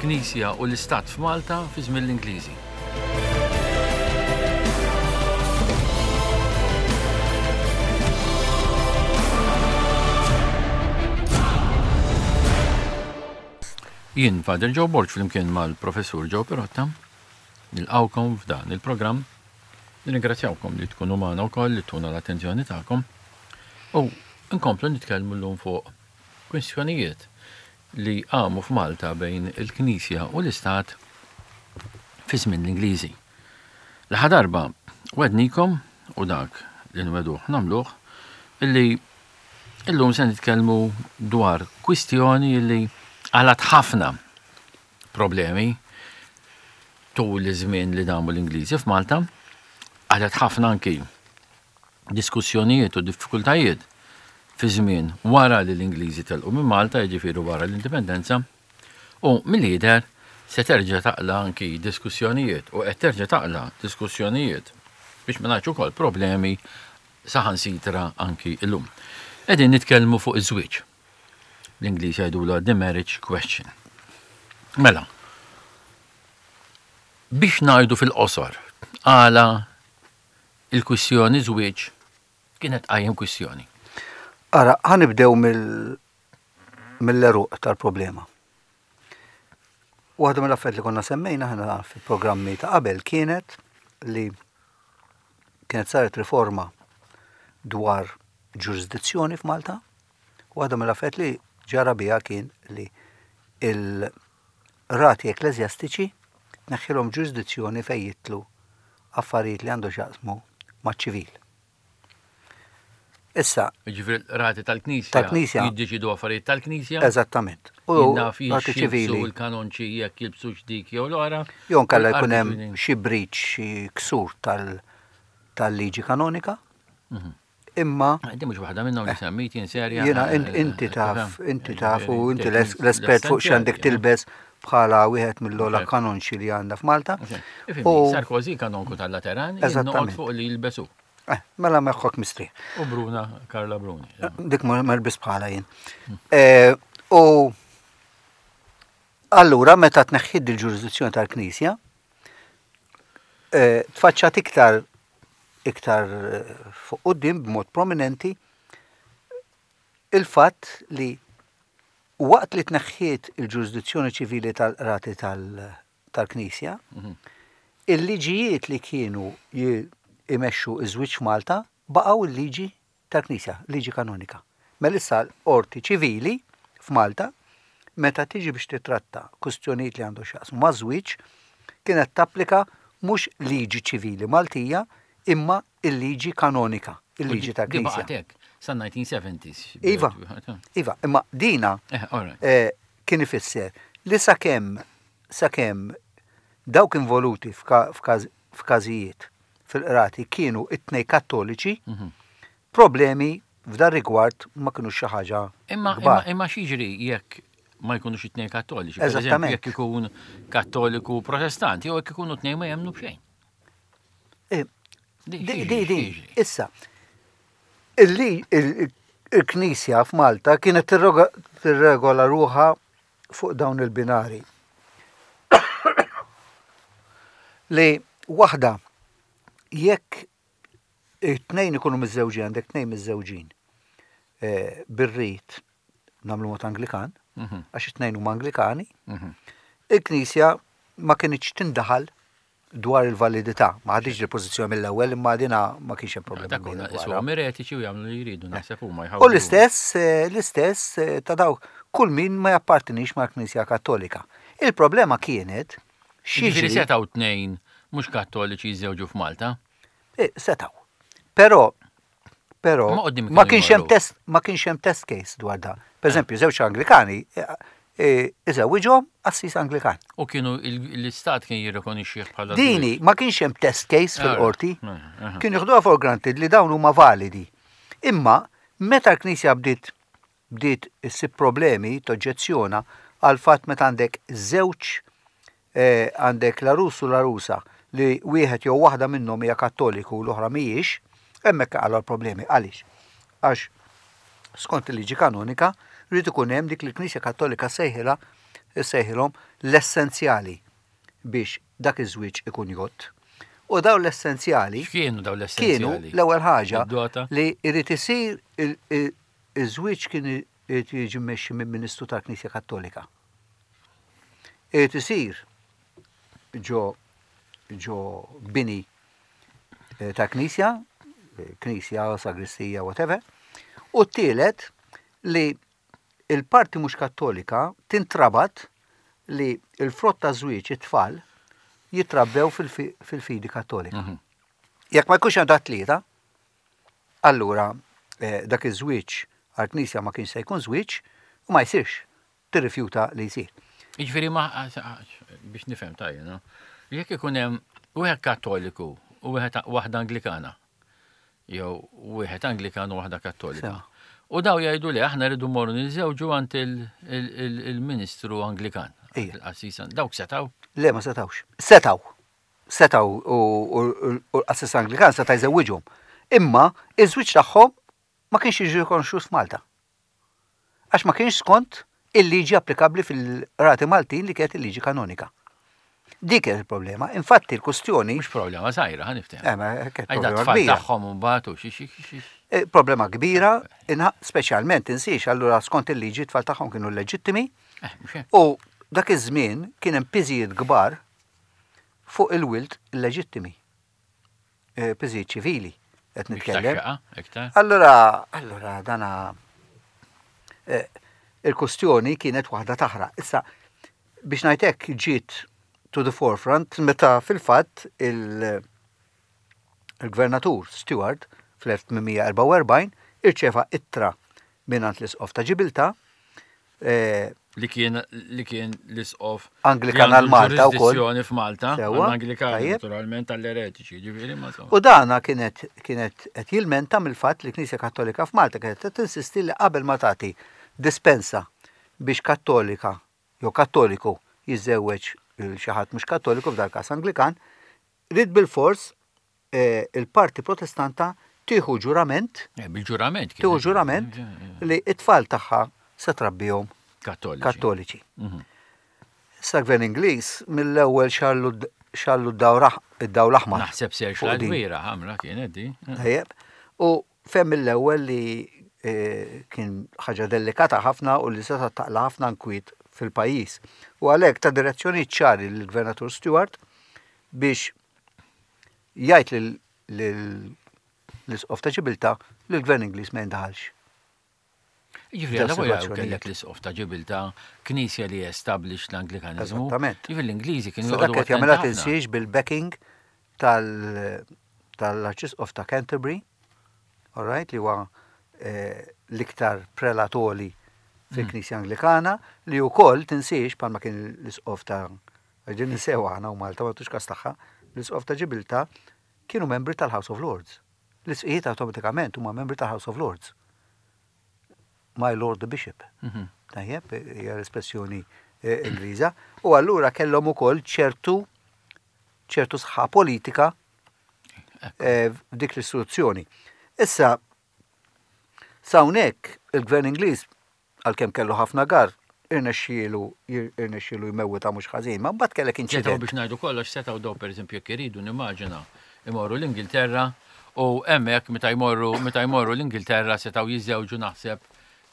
Il-Knisja u l-Istat f'Malta fi żmien l-Ingliżi. Jien Father Joe Borg flimkien mal-Professur Joe Pirotta nilqawkom f'dan il-programm. Nirringrazzjawkom li tkunu magħna wkoll li tuna l-attenzjoni tagħkom. U nkomplu nitkellmu llum fuq kwistjonijiet li qamu f'Malta bejn il-Knisja u l-Istat fi żmien l-Ingliżi. L-aħħar darba wednikom u dak li nweduh nagħmluh illi illum se nitkellmu dwar kwistjoni li għalat ħafna problemi tul iż-żmien li damu l-Ingliżi f'Malta, għalet ħafna anki diskussjonijiet u diffikultajiet fi żmien wara li l-Ingliżi telqu minn Malta, jiġifieri wara l-Indipendenza, u milli jidher se terġa' taqla' anki diskussjonijiet u qed terġa' taqla' diskussjonijiet biex ma ngħidx ukoll problemi saħansitra anki llum. Qegħdin nitkellmu fuq iż-żwieġ. L-Ingliż jgħidulha the marriage question. Mela, biex ngħidu fil-qosor għala il-kwistjoni żwieġ kienet tqajjem kwistjoni. Ara, ħa nibdew mill-għeruq tal-problema. Waħda mill-affarijiet li konna semmejna ħna fil-programmi ta' qabel kienet li kienet saret riforma dwar ġurisdizzjoni f'Malta. Waħda mill-affarijiet li ġara biha kien li il-rati ekkleżjastiċi tneħħilhom ġurisdizzjoni fejn jitlu affarijiet li għandu x'jaqsmu maċ-ċivil. Issa. Jiġifieri l-qrati tal-Knisja. Tal-Knisja. Jiddeċidu affarijiet tal-Knisja. Eżattament. U naf rati ċivili. U l-kanonċi jekk jilbsux dik jew l-oħra. Jew nkella jkun hemm xi breach, xi ksur tal-liġi kanonika. Mhm. Imma. Inti mhux waħda minnhom li semmejt jien serja. Jiena inti taf, inti taf u inti l-espert fuq x'għandek tilbes bħala wieħed mill-ogħla kanonċi li għandna f'Malta. U Sarkozy kanonku tal-Lateran, eżattament fuq li jilbesu. Eh, mela meħħok mistrieħ. U Bruna, Karla Bruni. Eh, dik ma lbis bħala jien. Hmm. Eh, u allura meta tneħħid il-ġurisdizzjoni tal-Knisja, tfaċċat iktar iktar fuq quddiem b'mod prominenti il-fatt li waqt li tneħħiet il-ġurisdizzjoni ċivili tal-qrati tal-Knisja, mhm. il-liġijiet li kienu imexxu iż-żwieġ Malta baqgħu il-liġi tal-Knisja, liġi kanonika. Mela issa l-qorti ċivili f'Malta, meta tiġi biex titratta kwistjonijiet li għandu x'jaqsmu maż-żwieġ, kienet tapplika mhux liġi ċivili Maltija imma il-liġi kanonika, il-liġi tal-Knisja. Di baqgħet hekk sa-1970s. Iva, iva, imma dina eh, eh, kien ifisser li sakemm sakemm dawk involuti f'każijiet fil-qrati kienu it-tnej kattoliċi, mhm. problemi f'dan rigward ma kienu xi ħaġa. Imma imma imma x'jiġri jekk ma jkunux it-tnejn kattoliċi? Eżattament. Jekk ikun kattoliku protestant, jew jekk ikunu tnejn ma jemmnu b'xejn. Eh, di, di, di, issa, illi il-Knisja f'Malta kienet tirregola ruħa fuq dawn il-binari. Li waħda jekk it-tnejn ikunu miżżewġin, għandek tnejn miżżewġin eh, bir-rit nagħmlu mod Anglikan, mhm. għax it-tnejn huma Anglikani, mhm. il-Knisja ma kinitx tindaħal dwar il-validità. Ma ħaditx il-pożizzjoni mill-ewwel imma dina ma kienx hemm problema. Dak huma isuhom eretiċi u jagħmlu li jridu naħseb huma jħawdu. U l-istess eh, l-istess eh, ta' daw kull min ma jappartinix mal-Knisja Kattolika. Il-problema kienet xi setgħu tnejn mhux kattoliċi jiżżewġu f'Malta? Eh, setgħu. Però Però ma kienx hemm test ma kienx hemm test case dwar dan. Per eżempju, żewġ Anglikani eh, eh, iżewwiġhom assis Anglikan. U kienu l-istat kien jirrikonixxih bħala Dini ma kienx hemm test case fil-qorti. Kienu jieħduha for granted li dawn huma validi. Imma meta l-Knisja bdiet bdiet issib problemi, toġġezzjona għal fatt meta għandek żewġ eh, għandek l-għarus u l-għarusa li wieħed jew waħda minnhom hija Kattoliku u l-oħra mhijiex, hemmhekk qalgħu l-problemi. Għaliex? Għax skont il-liġi kanonika rrid ikun hemm dik li l-Knisja Kattolika sejħilha issejħilhom l-essenzjali biex dak iż-żwieġ ikun jgħodd. U dawn l-essenzjali X'kienu dawn l-essenzjali? Kienu l-ewwel ħaġa li jrid isir iż-żwieġ kien irid jiġi mmexxi minn Ministru tal-Knisja Kattolika. Irid isir ġo ġo bini eh, ta' knisja, eh, knisja, sagristija, whatever. U t-tielet li il-parti mhux kattolika tintrabat li l-frott ta' żwieġ it-tfal jitrabbew fil-fidi kattolika. Mhm. Jekk ma jkunx hemm dat tlieta, allura eh, dak iż-żwieġ għall-Knisja ma kienx se jkun żwieġ u ma jsirx, tirrifjuta li jsir. Jiġifieri ma biex nifhem tajjeb, jekk ikun hemm wieħed Kattoliku u wieħed waħda Anglikana, jew wieħed Anglikan u waħda Kattolika. U daw jgħidu li aħna rridu morru niżżewġu għand il-Ministru Anglikan. Il-qassis dawk setgħu? Le ma setgħux. Setgħu. Setgħu u l-qassis Anglikan seta' jżewwiġhom. Imma iż-żwieġ tagħhom ma kienx jiġi rikonoxxut f'Malta. Għax ma kienx skont il-liġi applikabbli fil-qrati Maltin li kienet il-liġi kanonika. Dik kienet il-problema. Infatti l-kustjoni. Mhux problema żgħira, ħa niftehmu. Eh, ma kienet problema kbira. tagħhom imbagħad u xi xi xi. Eh, problema kbira, speċjalment tinsiex allura skont il-liġi tfal tagħhom kienu leġittimi. Eh, u dak iż-żmien kien hemm piżijiet kbar fuq il-wild illeġittimi. Eh, piżijiet ċivili qed nitkellem. Allura, allura dana eh, il-kustjoni kienet waħda taħraq. Issa, biex ngħid hekk ġiet to the forefront meta fil-fatt il-gvernatur Stewart fl-1844 irċeva ittra mingħand l-isqof ta' Ġibilta Eh, li kien li kien l-isqof Anglikan għal Malta wkoll. f'Malta, Anglikan naturalment għall-eretiċi, ġifieri ma U dana kienet kienet qed jilmenta mill-fatt li Knisja Kattolika f'Malta kienet qed tinsisti li qabel ma tagħti dispensa biex Kattolika jew Kattoliku jiżżewweġ xi ħadd mhux Kattoliku f'dal każ Anglikan, ried bilfors eh, il-parti protestanta tieħu ġurament. Eh, bil-ġurament. Tieħu ġurament li it-tfal tagħha se trabbihom kattoliċi. Mhm. Issa gvern Ingliż mill-ewwel xallu xallu d-dawl aħmar. Naħseb ser xal kbira ħamra kienet di. Tajjeb. U fem mill-ewwel li eh, kien ħaġa delikata ħafna u li seta' taqla ħafna nkwiet fil-pajjiż. U għalhekk ta' direzzjoni ċari lill-Gvernatur Stewart biex jgħid lill-Isqof ta' Ġibiltà li l-Gvern Ingliż ma jindaħalx. Jiġifieri alla volja kellek l-Isqof ta' Ġibiltà, knisja li established l-Anglikaniżmu. Eżattament. Jiġifieri l-Ingliżi kienu joqogħdu Dak qed jagħmilha tinsiex bil-backing tal-Arċisqof ta' Canterbury, all right, li huwa eh, l-iktar prelat għoli fil-Knisja Anglikana, li wkoll tinsiex bħalma kien l-Isqof ta' Għax din ninsewha aħna u Malta ma tux kas tagħha, l-Isqof ta' Ġibiltà kienu membri tal-House of Lords. L-isqijiet awtomatikament huma membri tal-House of Lords. My Lord the Bishop. Mhm. Tajjeb, hija l-espressjoni eh, Ingliża. U allura kellhom ukoll ċertu ċertu sħa politika eh, f'dik l-istituzzjoni. Issa, sawnek il-gvern Ingliż Għalkemm kellu ħafna garr, irnexxielu irnexxielu jmewwitha mhux ħażin, ma mbagħad kellek inċident. Setgħu biex ngħidu kollox setgħu daw pereżempju jekk iridu nimmaġina imorru l-Ingilterra u hemmhekk meta jmorru meta jmorru l-Ingilterra setgħu jiżżewġu naħseb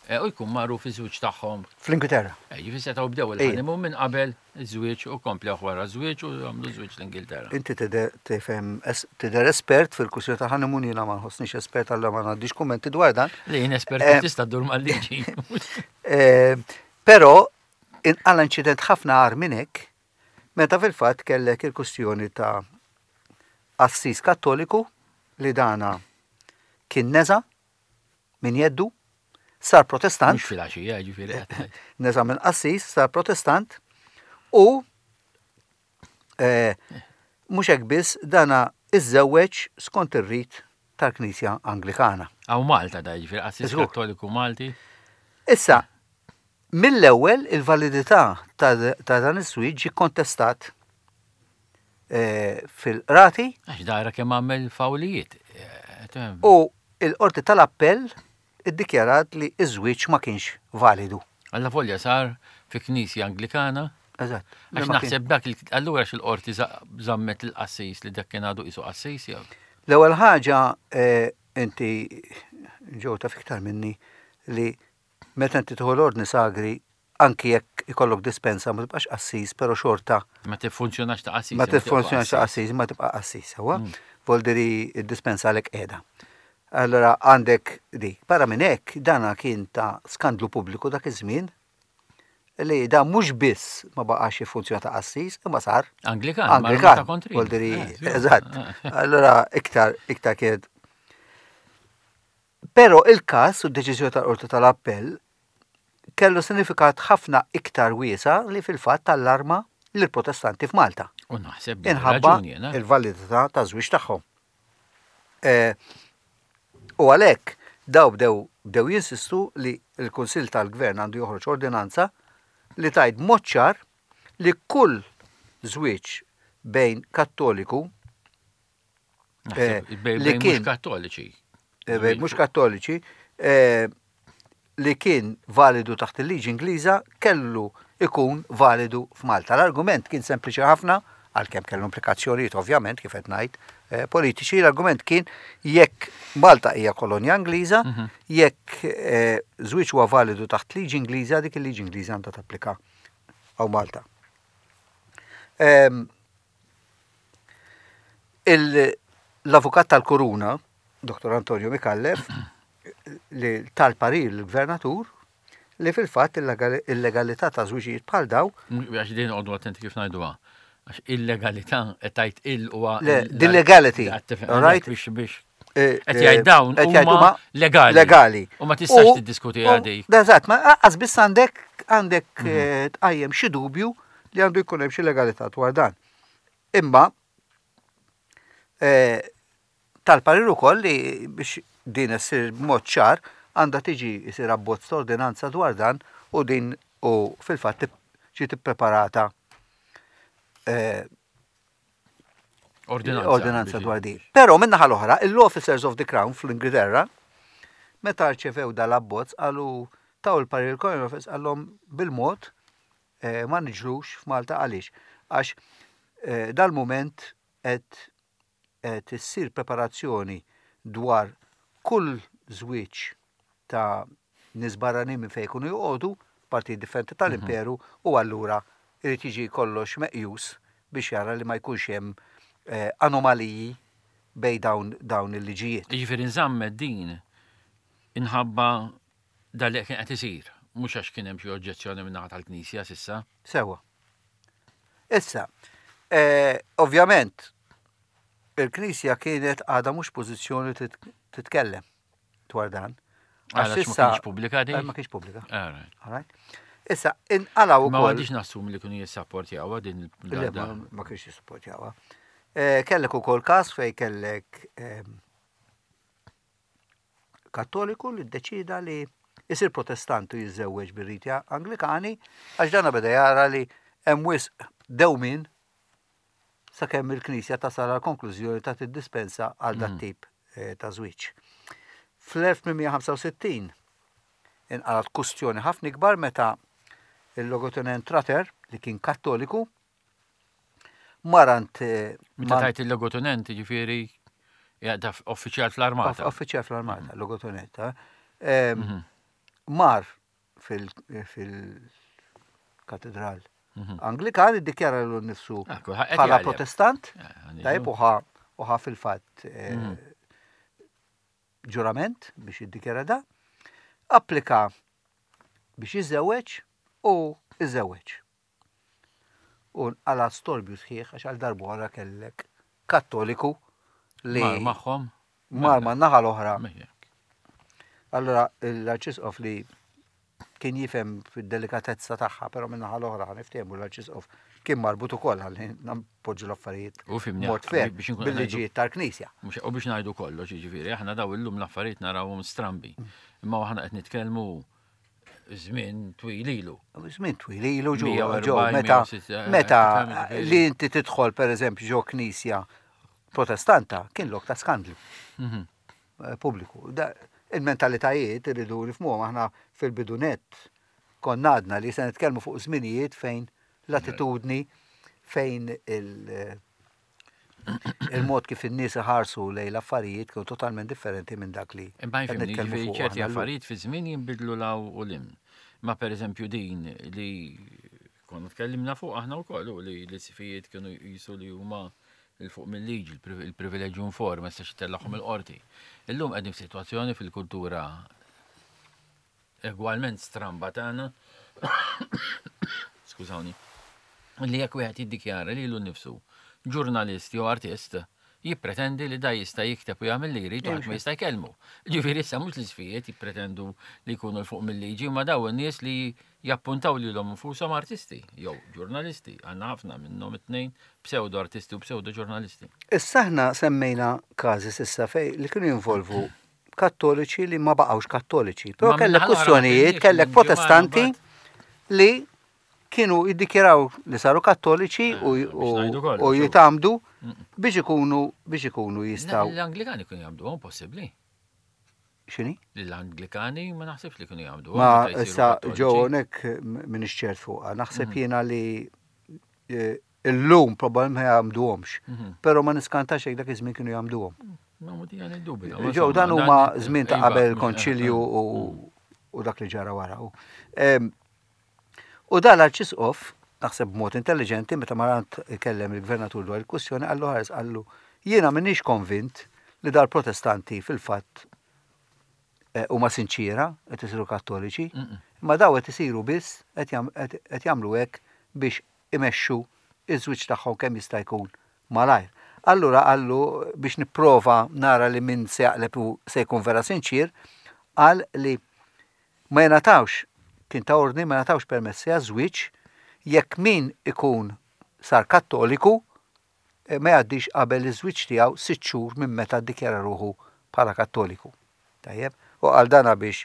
eh, u jkun magħruf iż-żwieġ tagħhom. Fl-Ingilterra. Eh, jiġifieri setgħu bdew il-honeymoon minn qabel Iż-żwieġ u komplewh wara ż-żwieġ u għamlu żwieġ l-Ingilterra. Inti tidher tifhem tidher espert fil-kwistjoni ta' honeymoon jiena ma nħossnix espert allura ma ngħaddix kummenti dwar dan. Le jien espert kif tista' ddur mal-liġi. Però inqala' inċident ħafna agħar minn hekk meta fil-fatt kellek il-kwistjoni ta' qassis Kattoliku li dana kien neża' minn jeddu, sar Protestant. Mhux filgħaxija, jiġifieri qed ngħid. Neża' minn qassis, sar Protestant u eh, mhux hekk biss dana iżżewweġ skont ir-rit tal-Knisja Anglikana. Hawn Malta da jiġifieri qassis Kattoliku Malti. Issa, mill-ewwel il-validità ta' dan iż-żwieġ ġie kontestat eh, fil-qrati. Għax dara kemm għamel fawlijiet. Eh, u il-qorti tal-appell iddikjarat li iż-żwieġ ma kienx validu. Alla volja sar fi knisja Anglikana. Eżatt. Għax naħseb dak allura xil-qorti żammet il-qassis li dak kien għadu qisu qassis jew. L-ewwel ħaġa eh, inti ġew taf iktar minni li meta inti tieħu l-ordni sagri anki jekk ikollok dispensa ma tibqax qassis, però xorta. Ma tiffunzjonax ta' qassis. Ma tiffunzjonax ta' qassis, ma tibqa' qassis, sewwa. Mm. Voldiri id-dispensa għalek qiegħda. Allora għandek dik. Barra minn hekk dana kien ta' skandlu pubbliku dak iż-żmien li da mhux biss ma baqax jiffunzjona ta' qassis, imma sar Anglikan, Anglikan. Voldiri, eh, eżatt. Eh. Allora iktar iktar kienet Però il-każ u d-deċiżjoni tal-Qorti tal-Appell kellu sinifikat ħafna iktar wiesa' li fil-fatt allarma lill-Protestanti f'Malta. U naħseb Inħabba il-validità taż-żwieġ tagħhom. Eh, u għalhekk daw bdew bdew jinsistu li l-Kunsill tal-Gvern għandu joħroġ ordinanza li tgħid b'mod ċar li kull żwieġ bejn Kattoliku Eh, li kien kattoliċi. Eh, bejn mhux kattoliċi eh, li kien validu taħt il-liġi Ingliża kellu ikun validu f'Malta. L-argument kien sempliċi ħafna, għalkemm kellu implikazzjonijiet ovvjament kif qed ngħid politiċi, l-argument kien jekk Malta hija kolonja Ingliża, mhm. jekk żwieġ huwa validu taħt liġi Ingliża, dik il-liġi Ingliża għandha tapplika għaw Malta. Ehm, L-avukat tal-Kuruna, Dr. Antonio Micallef, li tal-parir l-gvernatur li fil-fatt il-legalità ta' żwiġijiet bħal daw. Għax din għodu attenti kif ngħiduha. Għax illegalità qed tgħid il huwa. L-illegality. Right? Biex biex. Eh, qed jgħid eh, dawn huma legali. Legali. U ma tistax tiddiskuti għadi. Eżatt, ma qas biss għandek għandek mhm. eh, tqajjem xi dubju li għandu jkun hemm xi legalità dwar dan. Imma tal-parir ukoll li biex din issir b'mod ċar għandha tiġi jsir abbozz ta' ordinanza dwar dan u din u fil-fatt ġiet ippreparata Ordinanza. Ordinanza dwar din. Però min-naħa l-oħra, l-Officers of the Crown fl-Ingilterra, meta rċevew dal-abbozz qalu taw il-parir il-Colonial Office qallhom bil-mod eh, ma niġrux f'Malta għaliex? Għax eh, dal-mument qed qed issir preparazzjoni dwar kull żwieġ ta' nies barranin minn fejn ikunu joqogħdu, partijiet differenti tal-imperu u allura irid jiġi kollox meqjus biex jara li ma jkunx hemm anomaliji bejn dawn dawn il-liġijiet. Jiġifieri nżammet din inħabba dan li kien qed isir, mhux għax kien hemm xi oġġezzjoni min-naħa tal-Knisja s'issa. Sewwa. Issa, ovvjament, il-Knisja kienet għadha mhux pożizzjoni titkellem. dwar dan. Għax ma kienx pubblika di? Eh, ma kienx pubblika. Issa, inqalaw ukoll. Ma għadix nassum li kienu jissapportjawha din il Ma kienx jissapportjawha. Eh, kellek ukoll każ fej kellek ehm, kattoliku li ddeċida li jisir protestant u jiżżewweġ bir-riti Anglikani għax dana beda jara li hemm wisq dewmin sakemm il-Knisja tasal għal konklużjoni ta' tiddispensa għal dat mm. tip eh, ta' żwieġ. Fl-1865 inqalat kustjoni ħafna ikbar meta il-logotenent Trater, li kien kattoliku, marant. Eh, meta tajt il-logotenent, ġifieri uffiċjal fl-armata. Uffiċjal fl-armata, mm. logotenent. Eh? Mhm. Mar fil-katedral mhm. Anglikan iddikjara l nnifsu ah, bħala protestant, eh, tajb uħa uħa fil-fatt eh, mhm. ġurament biex jiddikjara da, applika biex jiżżewweġ u iżżewweġ. U nqala storbju sħiħ għax għal darb'oħra kellek kattoliku li. Mar magħhom? Mar ma' naħa l-oħra. Allora l-Arċisqof li kien jifhem fid-delikatezza tagħha, però minn naħa l-oħra ħa niftehmu l-Arċisqof kien marbut ukoll ħalli npoġġu l-affarijiet U fimni, mod fair biex inkun bil-liġijiet tal-Knisja. Mhux u biex ngħidu kollox, jiġifieri aħna daw illum l-affarijiet narawhom strambi. Imma aħna qed nitkellmu żmien twil ilu. Żmien twil ilu ġo ġo meta meta li inti tidħol pereżempju ġo knisja protestanta kien lok ta' skandlu. Mhm. Eh, pubbliku. Il-mentalitajiet irridu nifhmuhom aħna fil-bidu nett Konna għadna li se nitkellmu fuq żminijiet fejn l-attitudni fejn il- il-mod kif in-nies iħarsu lejn l-affarijiet kienu totalment differenti minn dak li. Imma jifhimni, ġifieri ċerti affarijiet fi żmien jinbidlu law u lim. Ma pereżempju din li konna tkellimna fuq aħna wkoll u li l-sifijiet kienu jisu li huma il-fuq mill-liġi, il-privileġġju inform, ma jistax itellagħhom il-qorti. Illum qegħdin f'sitwazzjoni fil-kultura egwalment stramba tagħna, skużawni, li jekk wieħed jiddikjara lilu nnifsu ġurnalist jew artist, jippretendi li da jista' jikteb u jagħmel li jrid u ħadd ma jista' jkellmu. Ġifieri issa mhux l-isfijiet jippretendu li jkunu l fuq mill-liġi, ma daw in-nies li jappuntaw lilhom infushom artisti jew ġurnalisti, għandna ħafna minnhom it-tnejn pseudo artisti u pseudo ġurnalisti. Issa aħna semmejna każi s'issa fejn li kienu jinvolvu kattoliċi li ma baqgħux kattoliċi. Però kellek kwistjonijiet, kellek protestanti li kienu jiddikjaraw li saru kattoliċi eh, u jitamdu biex ikunu biex ikunu jistaw. L-Anglikani kienu jagħmdu għom possibbli. Xini? L-Anglikani ma naħsibx li kienu jagħmdu. Ma issa ġew hawnhekk minn ċert fuqha. Naħseb mhm. jiena li eh, Illum probabbilment ma jagħmduhomx, mhm. però ma niskantax jekk dak iż-żmien kienu jagħmduhom. Ġew dan huma żmien ta' qabel iva, il-konċilju u dak li ġara wara. U dan l-arċisqof, naħseb b'mod intelligenti, meta marant ikellem il-gvernatur dwar il-kwistjoni, qallu ħares qallu jiena m'iniex konvint li dal-protestanti fil-fatt eh, huma sinċiera qed isiru kattoliċi, imma daw qed isiru biss qed jagħmlu hekk biex imexxu ż-żwieġ tagħhom kemm jista' jkun malajr. Allura qallu biex nipprova nara li min se jaqleb u se jkun vera sinċier, qal li ma jingħatawx, kien ta ordni ma jingħatawx permessi għaż-żwieġ jekk min ikun sar Kattoliku ma jgħaddix qabel iż-żwieġ tiegħu sitt xhur minn meta ddikjara ruħu bħala Kattoliku. Tajjeb? U qal dana biex.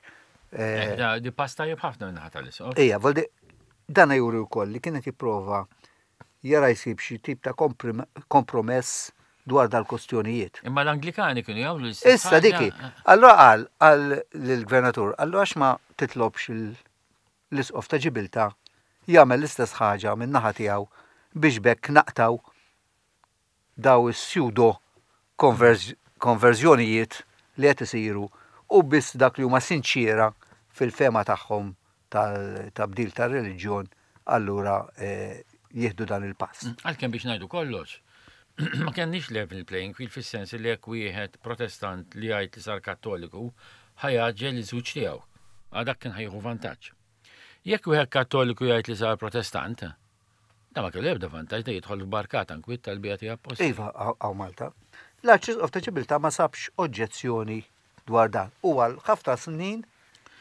Eh, eh di pass tajjeb ħafna minn ħata l-isqof. Ejja, voldi dana juri wkoll li kienet jipprova jara jsib xi tip ta' kompromess dwar dal-kostjonijiet. Imma l-Anglikani kienu jagħmlu l-istess. Issa diki. Allura qal qal lill-gvernatur, allura għax ma titlobx l-isqof ta' Ġibilta jagħmel l-istess ħaġa min-naħa tiegħu biex b'hekk naqtgħu daw is-pseudo konverżjonijiet li qed isiru u biss dak li huma sinċiera fil-fehma tagħhom tal-tabdil tar-reliġjon allura jieħdu dan il-pass. Għalkemm biex ngħidu kollox, ma kenniex level playing field fis-sens li jekk wieħed Protestant li jgħid li sar Kattoliku ħa jgħaġġel iż-żwieġ tiegħu. Għal dak kien ħa jieħu vantaġġ. Jekk wieħed Kattoliku jgħid li sar Protestant, da ma kellu ebda vantaġġ, da jidħol f'barkata nkwiet tal-Beati Appostli. Iva, hawn Malta. L-Arċisqof ta' Ġibiltà ma sabx oġġezzjoni dwar dan. U għal ħafna snin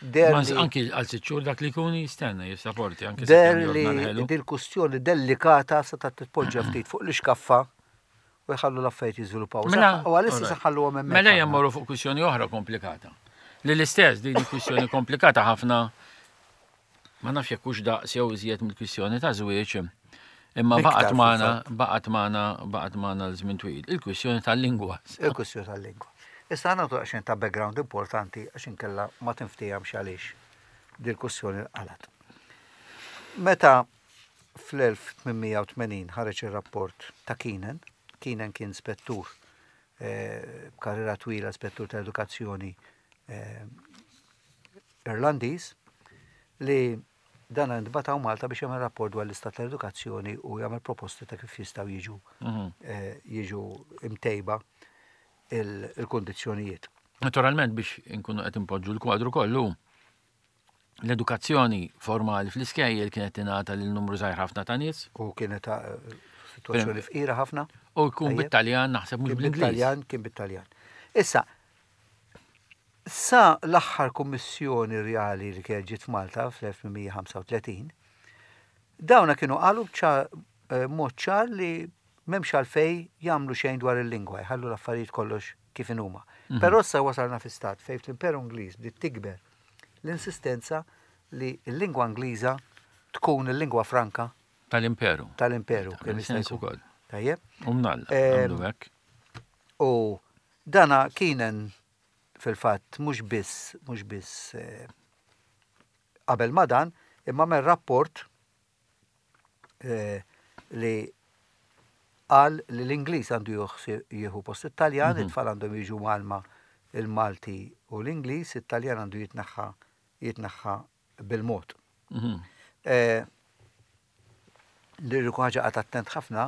deher li. Anki għal sitt xhur dak li jkun jistenna, jissaporti anki Deher li dil-kustjoni delikata setgħet titpoġġa ftit fuq l-ixkaffa u jħallu l-affarijiet jiżviluppaw. Mela, u għalissa se ħalluhom hemmhekk. Mela ejja mmorru fuq kwistjoni oħra komplikata. Li l-istess din kwistjoni komplikata ħafna ma nafx jekk hux daqs jew iżjed mill-kwistjoni ta' żwieġ, imma baqgħet magħna, baqgħet magħna, baqgħet magħna l-żmien twil. Il-kwistjoni tal-lingwa. Il-kwistjoni tal-lingwa. Issa ħa nagħtu daqsxejn ta' background importanti għax inkella ma tinftehemx għaliex dil-kwistjoni nqalgħet. Meta fl-1880 ħareġ ir-rapport ta' Keenan, Keenan kien spettur eh, b'karriera twila spettur ta' edukazzjoni eh, Irlandiż li dan intbagħat hawn Malta biex jagħmel rapport dwar l-istat tal-edukazzjoni u jagħmel proposti ta' kif jistgħu jiġu mhm. eh, jiġu imtejba il-kondizzjonijiet. Naturalment biex inkunu qed impoġġu l-kwadru kollu, l-edukazzjoni formali fl-iskejjel kienet tingħata lil numru żgħir ħafna ta' nies. U kienet eh, situazzjoni fqira ħafna. U jkun bit-Taljan naħseb mhux bl-Ingliż. Bit-Taljan kien bit-Taljan. Issa, Sa l-aħħar kummissjoni rjali li kienet ġiet f'Malta fl-1835, dawna kienu qalu b'mod ċar li m'hemmx għalfejn jagħmlu xejn dwar il-lingwa, jħallu l-affarijiet kollox kif inhuma. Però issa wasalna fi stat fejn fl-Imperu Ingliż bdiet tikber l-insistenza li l-lingwa Ingliża tkun il-lingwa franka tal-Imperu. Tal-Imperu, kemm jista' jkun. Tajjeb. U mnalla, għamlu hekk. U Dana kien fil-fatt mhux biss mhux biss qabel ma dan, Imma għamel rapport eh, li qal li l-Ingliż għandu jieħu post it-Taljan, mhm. it-tfal għandhom jiġu mgħallma il-Malti u l-Ingliż, it-Taljan għandu jitneħħa jitneħħa bil-mod. Mhm. Eh, li ħaġa qagħad attent ħafna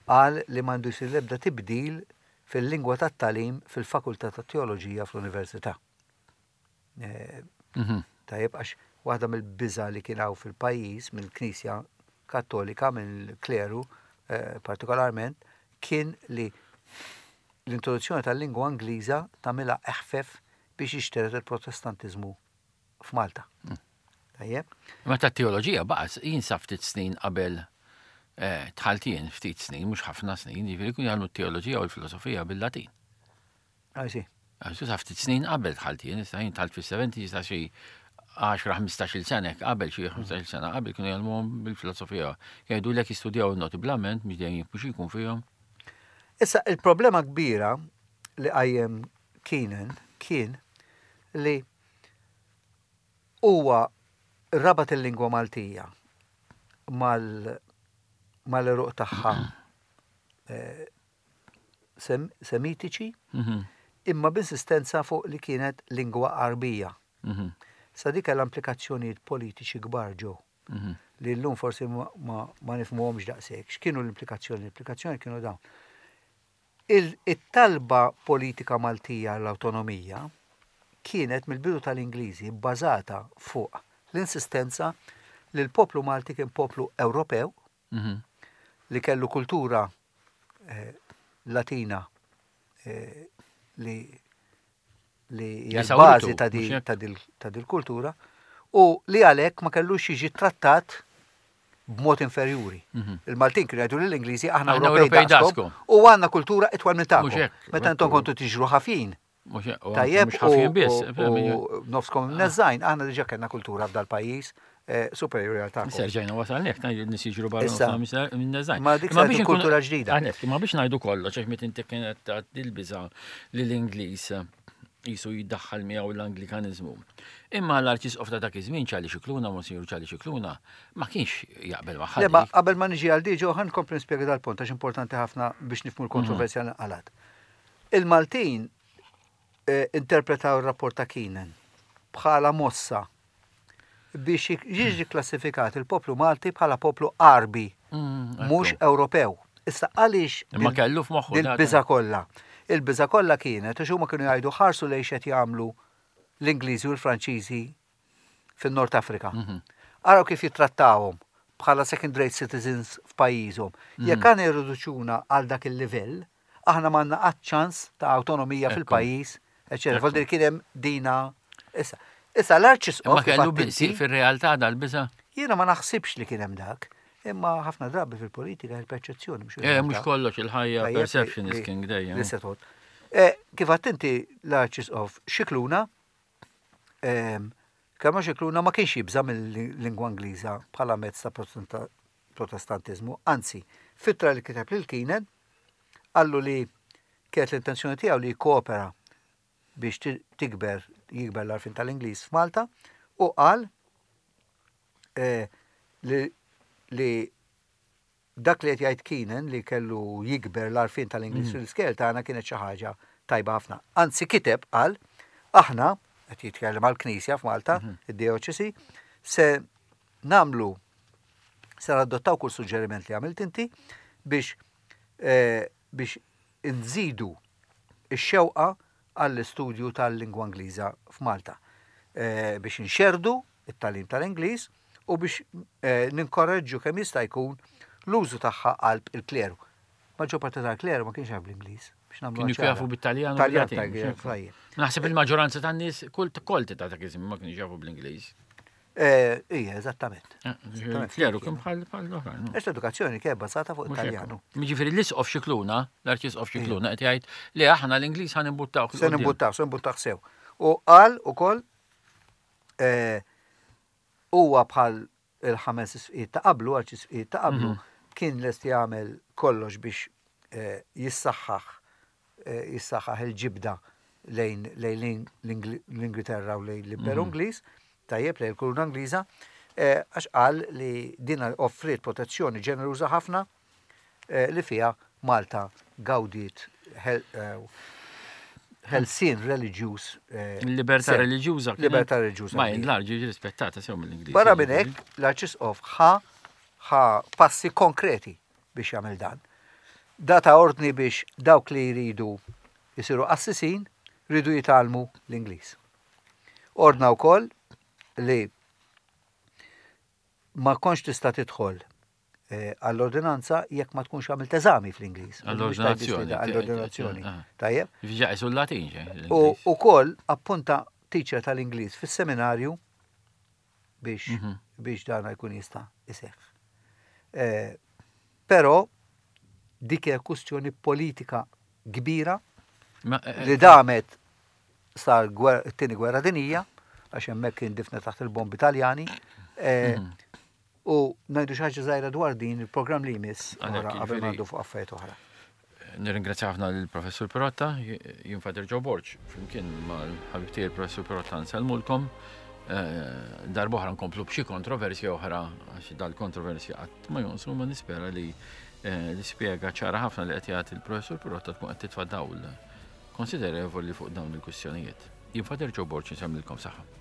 qal li m'għandu jsir l-ebda tibdil fil-lingwa tat-tagħlim fil-Fakultà tat-Teoloġija fl-Università. Eh, mhm. Tajjeb għax waħda mill-biża li kien hawn fil-pajjiż mill-Knisja Kattolika, mill-kleru eh, partikolarment, kien li l-introduzzjoni tal-lingwa Ingliża tagħmilha eħfef biex jixteret il-Protestantiżmu f'Malta. Mm. Tajjeb. Ma ta' teoloġija baqa' jien sa ftit snin qabel eh, dħalt jien ftit snin, mhux ħafna snin, jiġifieri kun jagħmlu t-teoloġija u l-filosofija bil-Latin. Għajsi. Għax sa ftit snin qabel dħalt jien, issa jien dħalt fis-70 sa xi 10-15 sena qabel xi 15 sena qabel kienu jgħallmuhom bil-filosofija. Jgħidu lek jistudjaw il-noti bl-amment mhux dejjem jifhmu jkun fihom. Issa il-problema kbira li qajjem Keenan kien li huwa rabat il-lingwa Maltija mal-eruq tagħha eh, semitiċi, mhm. imma b'insistenza fuq li kienet lingwa Għarbija. Mhm. Sa dik kellha implikazzjonijiet politiċi kbar ġew. Mhm. Li llum forsi ma nifhmuhomx daqshekk. X'kienu l-implikazzjoni? L-implikazzjoni kienu dawn. It-talba politika Maltija għall-awtonomija kienet mill-bidu tal-Ingliżi bbażata fuq l-insistenza li l-poplu Malti kien poplu Ewropew li kellu kultura eh, Latina eh, li li hija l-bażi ta' dil kultura u li għalhekk ma kellux jiġi trattat b'mod inferjuri. Mhm. Il-Maltin kienu jgħidu lill-Ingliżi aħna Ewropej daqskom u għandna kultura itwal minn tagħkom. Meta intom kontu tiġru ħafin. Tajjeb, ħafin biss. U nofskom neżajn, aħna diġà kellna kultura f'dal pajjiż eh, superjuri għal tagħkom. Serġajna wasalnek, nies jiġru barra minn neżajn. Ma dik biex kultura ġdida. Ma biex ngħidu kollox, għax meta inti kienet ta' dil-biża li l-Ingliż jisu jiddaħħal miegħu l-Anglikanizmu. Imma l-Arċisqof ta' dak iż-żmien Charlie Scicluna, Monsignor Charlie Scicluna, ma kienx jaqbel magħha. Le, ma qabel ma niġi għal diġo ħa nkompli nispjega dal-punt għax importanti ħafna biex nifhmu l-kontroversja li nqalgħet. Il-Maltin eh, interpretaw ir-rapport ta' Keenan bħala mossa biex jiġi klassifikat il-poplu Malti bħala poplu Għarbi, mm, mhux Ewropew. Issa għaliex Ma kellu f'moħħu il-biża kollha. Il-biża kollha kienet għax huma kienu jgħidu ħarsu lejn x'qed jagħmlu l-Ingliżi u l-Franċiżi fin-Nord Afrika. Mhm. Araw kif jittrattawhom bħala second rate citizens f'pajjiżhom. Mhm. Jekk għandna jirriduċuna għal dak il-livell, aħna m'għandna qatt ċans ta' awtonomija fil-pajjiż, eċetera. Voldir kien hemm dina issa. Issa l-arċisqof. Ma kellu biqsi fir-realtà dal-biża'? Jiena ma naħsibx li kien hemm dak. Imma ħafna drabi fil-politika il-perċezzjoni mhux. Eh, mhux kollox il-ħajja perception is king dejjem. Eh, kif għadt inti l-arċisqof Xikluna, ehm, kemm Xikluna ma kienx jibża mill-lingwa Ingliża bħala mezz ta' Protestantiżmu, anzi, f'ittra li kiteb lil Keenan, qallu li kienet l-intenzjoni tiegħu li jikkoopera biex tikber jikber l-għarfien tal-Ingliż f'Malta u qal eh, li, li dak li qed jgħid Keenan li kellu jikber l-għarfien tal-Ingliż mm. fil-skel tagħna kienet xi ħaġa tajba ħafna. Anzi kiteb qal aħna qed jitkellem għall-Knisja f'Malta, mhm. id-dioċesi, se nagħmlu se nadottaw kull suġġeriment li għamilt inti biex eh, biex inżidu x-xewqa għall-istudju tal-lingwa Ingliża f'Malta eh, biex inxerdu it-tagħlim tal-Ingliż u biex eh, ninkoraġġu kemm jista' jkun l-użu tagħha qalb il-kleru. Maġġor parti tal-kleru ma kienx jaf bl-Ingliż. Biex nagħmlu Kienu jafu bit-Taljan. Taljan tajjeb. Naħseb il-maġġoranza tan-nies kull kolti ta' dak iż-żmien ma kienx jafu bl-Ingliż. Eh, ija, eżattament. Eh, Kleru kien bħal l-oħrajn. Għax l-edukazzjoni kien bbażata fuq Italjanu. Jiġifieri l-isqof Xikluna, l-arċisqof Xikluna qed jgħid li aħna l-Ingliż ħan imbuttaw. Se nimbuttaw, se nimbuttaw sew. U qal ukoll eh, huwa bħal il-ħames isqiet ta' qablu, arċisqiet ta' qablu, mhm. kien lest jagħmel kollox biex jissaħħaħ jissaħħaħ il-ġibda lejn lejn l-Ingilterra u lejn l-Imperu mhm. Ingliż, tajjeb lejn il-Kuruna Ingliża. Għax qal li din offriet protezzjoni ġeneruża ħafna li fiha Malta gawdiet ħelsien reliġjuż. Il-libertà reliġjuża. Libertà reliġjuża. Ma l-arġi rispettata sew mill-Ingliż. Barra minn hekk, l-Arċisqof ħa ħa passi konkreti biex jagħmel dan. Data ordni biex dawk li jridu jisiru qassisin ridu jitgħallmu l-Ingliż. Ordna wkoll li ma kontx tista' tidħol eh, għall-ordinanza jekk ma tkunx għamilt eżami fl-Ingliż. Għall-ordinazzjoni. Għall-ordinazzjoni. Ah. Tajjeb. Ġa isu l-Latin, U ukoll appunta teacher tal-Ingliż fis-seminarju biex mhm. biex dana jkun jista' iseħħ. Eh, però dik hija kwistjoni politika kbira eh, li damet sa t-tieni gwerra dinija, għax hemmhekk kien difna taħt il-bombi Taljani. Eh, mhm. U ngħidu xi ħaġa żgħira dwar din il-programm li jmiss qabel ngħaddu fuq affarijiet oħra. Nirringrazzja ħafna lill-Professur Pirotta, jien Father Joe Borg, flimkien mal-ħabib tiegħi il-Professur Pirotta nsellmulkom. Eh, darb'oħra nkomplu b'xi kontroversja oħra, għax dal-kontroversja qatt ma jonqsu, ma nispera li eh, l-ispjega ċara ħafna li qed jagħti il-Professur Pirotta tkun qed titfa' dawl konsiderevoli fuq dawn il-kwistjonijiet. Jien Father Joe Borg nsemmilkom saħħa.